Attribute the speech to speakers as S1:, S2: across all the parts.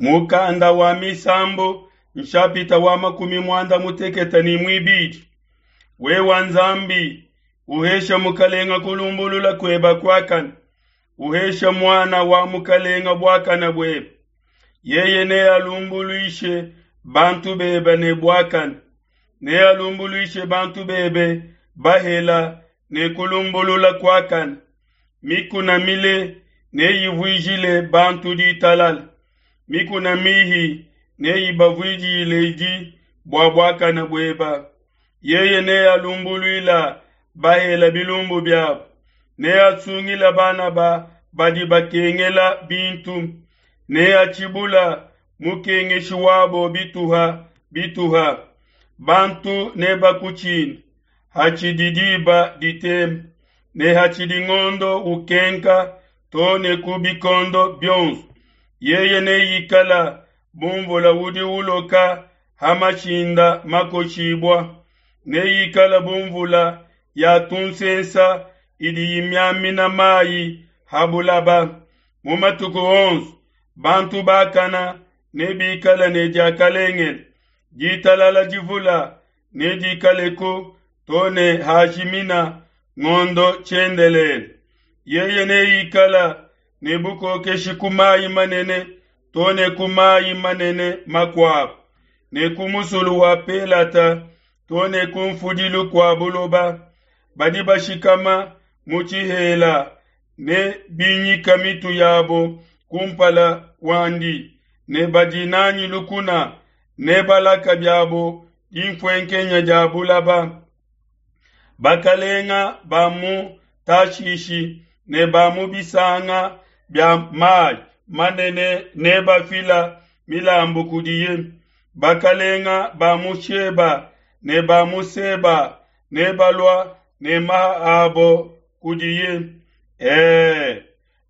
S1: Mukanda wa Misambu nshapita wa 32. Wewa Nzambi, uhesha mukalenga kulumbulula kueba kuakane, uhesha muana wa mukalenga buakane buebe. Yeye nealumbuluishe bantu bebe ne buakane, nealumbuluishe bantu bebe bahela ne kulumbulula kuakane. Mikuna mile neyivuijile bantu ditalala, mikuna mihi neyibavuijiledi bua buakane bueba. Yeye nealumbuluila bahela bilumbu biabo, neasungila bana ba badi bakengela bintu, neatshibula mukengeshi wabo bituha bituha. Bantu nebakutshine hatshidi diba ditema, ne hatshidi ngondo ukenka too ne ku bikondo bionso. Yeye neikala bu mvula udi uloka ha mashinda makoshibua, neikala bu mvula ya tunsensa idi imiamina mayi ha bulaba. Mu matuku onso bantu bakana nebikale ne diakalengele, ditalala divula nedikaleku too ne hajimina ngondo tshiendelele. Yeye neikala ne bukokeshi ku mayi manene too ne ku mayi manene makuabo, ne ku musulu wa Pelata too ne ku mfudilu kua buloba. Badi bashikama mu tshihela ne binyika mitu yabo kumpala kuandi, ne badi nanyi lukuna ne balaka biabo dinfuenkenya dia bulaba. Bakalenga ba mu Tashishi ne ba mu bisanga bia mayi manene nebafila milambu kudiye. Bakalenga ba mu Sheba ne ba mu Seba nebalua ne maha abo kudiye. Ee,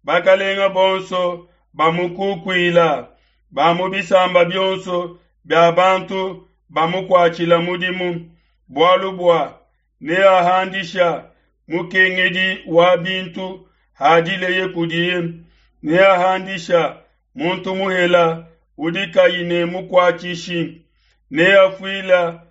S1: bakalenga bonso bamukukuila, ba mu bisamba bionso bia bantu bamukuatshila mudimu, bualu bua neahandisha mukengedi wa bintu hadileye kudiye, neahandisha muntu muhela udi kayi ne mukuatshishi, neafuila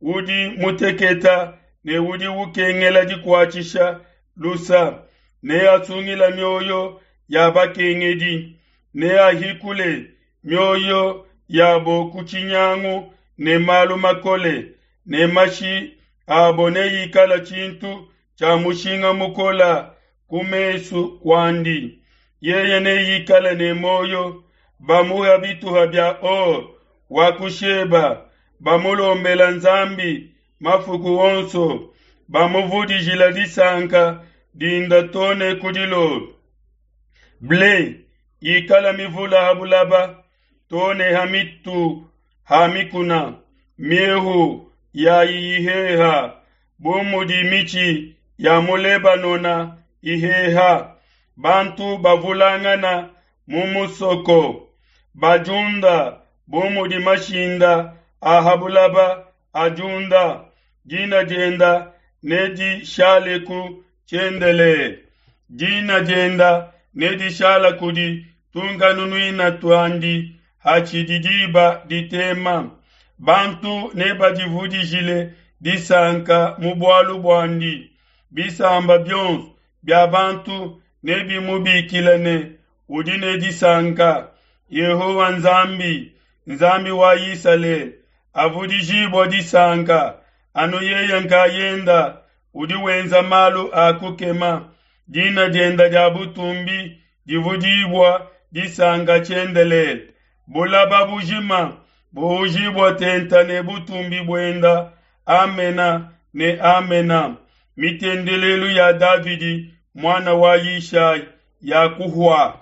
S1: udi muteketa ne udi ukengela dikuatshisha lusa, neasungila mioyo ya bakengedi, neahikule mioyo yabo ku tshinyangu ne malu makole, ne mashi abo neikala tshintu tshia mushinga mukola ku mesu kuandi. Yeye neikale ne muoyo, bamuha bituha bia or wa ku Sheba, bamulombela Nzambi mafuku onso, bamuvudijila disanka dinda too ne ku dilolo. Ble ikala mivula ha bulaba too ne ha mitu ha mikuna, miehu yayi iheha bu mudi mitshi ya mu Lebanona iheha. Bantu bavulangana mu musoko, badiunda bu mudi mashinda a ha bulaba adiunda. Dina dienda nedishaleku tshiendelele, dina dienda nedishala kudi tunkanunuina tuandi hatshidi diba ditema. Bantu nebadivudijile disanka mu bualu buandi, bisamba bionso bia bantu nebimubikile ne udi ne disanka. Yehowa Nzambi, Nzambi wa Isalele, avudijibua disanka, anu yeye nkayenda udi wenza malu a kukema. Dina dienda dia butumbi divudibua disanka tshiendelele. Bulaba bujima buujibua tenta ne butumbi buenda. Amena ne amena. Mitendelelu ya Davidi muana wa Yishai ya kuhua.